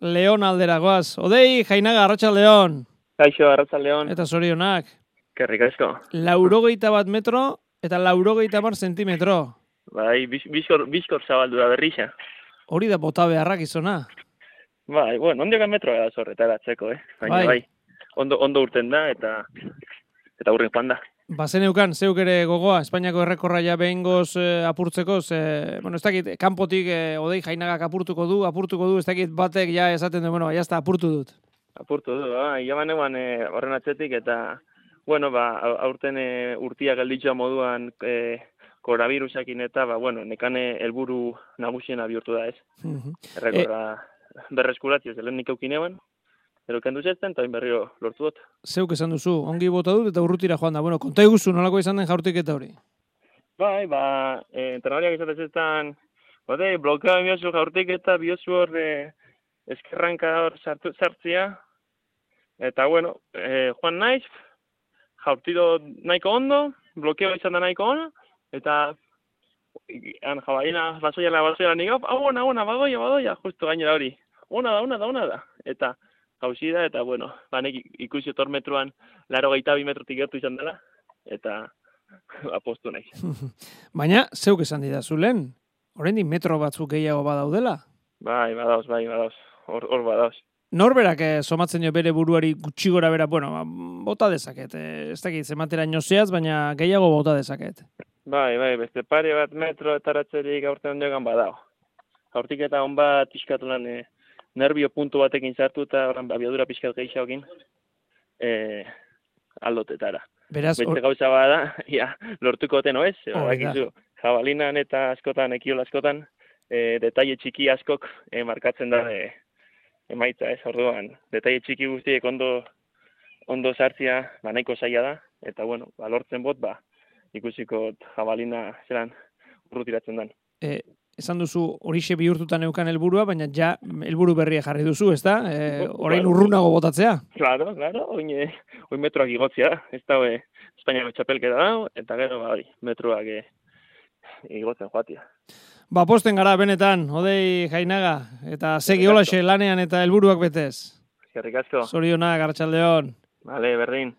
Leon alderagoaz. Odei, Jainaga, Arratsaldeon. Kaixo, Arratsaldeon. Eta zorionak. Kerrik asko. 81 metro eta 80 zentimetro. Bai, bizkor zabaldu da berrixa. Hori da bota beharrak izona. Bai, bueno, ondiokan metroa da zorretaratzeko, Baina bai, ondo urten da eta urren joan da. Bazeneukan, zeuk ere gogoa, Espainiako errekorra ja behingoz apurtzeko, ez dakit, kanpotik Odei Jainagak apurtuko du, ez dakit batek ja esaten du, jazta, apurtu dut. Apurtu du, jaman eguan horren atzetik, eta, aurten urtia gelditxoa moduan koronavirusakin eta, nekan helburu nagusiena bihurtu da, Errekorra berreskuratio zelen nik eukin eban, pero kendu zezten, eta berriro lortu dut. Zeuk esan duzu, ongi bota dut eta urrutira joan da. Konta iguzu, nolako izan den jaurtiketa hori? Bai, entrenariak izatezestan, blokea biozu jaurtiketa, biozu hor eskerranka hor sartzia, eta joan naiz, jaurtido nahiko ondo, blokeo izan da nahiko ona, eta jabalina basoiala nik, ona, badoia, justu gainera hori. Ona da. Eta hausi da, eta nek ikusi otor metruan 82 metrotik gertu izan dela, eta apostu nahi. Baina, zeuk esan didazu lehen, oraindik metro batzuk gehiago badaudela? Bai, badauz, hor badauz. Norberak somatzen jo bere buruari gutxi gora bera, bota dezaket, ez dakit zematera nozeaz, baina gehiago bota dezaket. Bai, beste pare bat metro eta ratzerik aurten ondiogan badao. Hortik eta hon bat iskatu lan nervio puntu batekin sartu eta horren abiadura pixkat gehiagokin aldotetara. Beraz, beste gauza bada, lortuko oten oez, jabalinan eta askotan, ekiola askotan, detaile txiki askok markatzen da emaitza, orduan, detaile txiki guztiek ondo sartzia nahiko zaila da, eta lortzen bot, ikusiko jabalina zelan urrutiratzen den. Esan duzu horixe bihurtutan eukan helburua, baina ja helburu berria jarri duzu, ezta? Orain urrunago botatzea? Claro, oin metroak igotzea, ez da Espainiako txapelketa da, eta gero metroak igotzen joatia. Posten gara benetan, Odei Jainaga, eta segi holaxe lanean eta helburuak betez. Eskerrik asko. Zorionak, Arratsaldeon. Bale, berdin.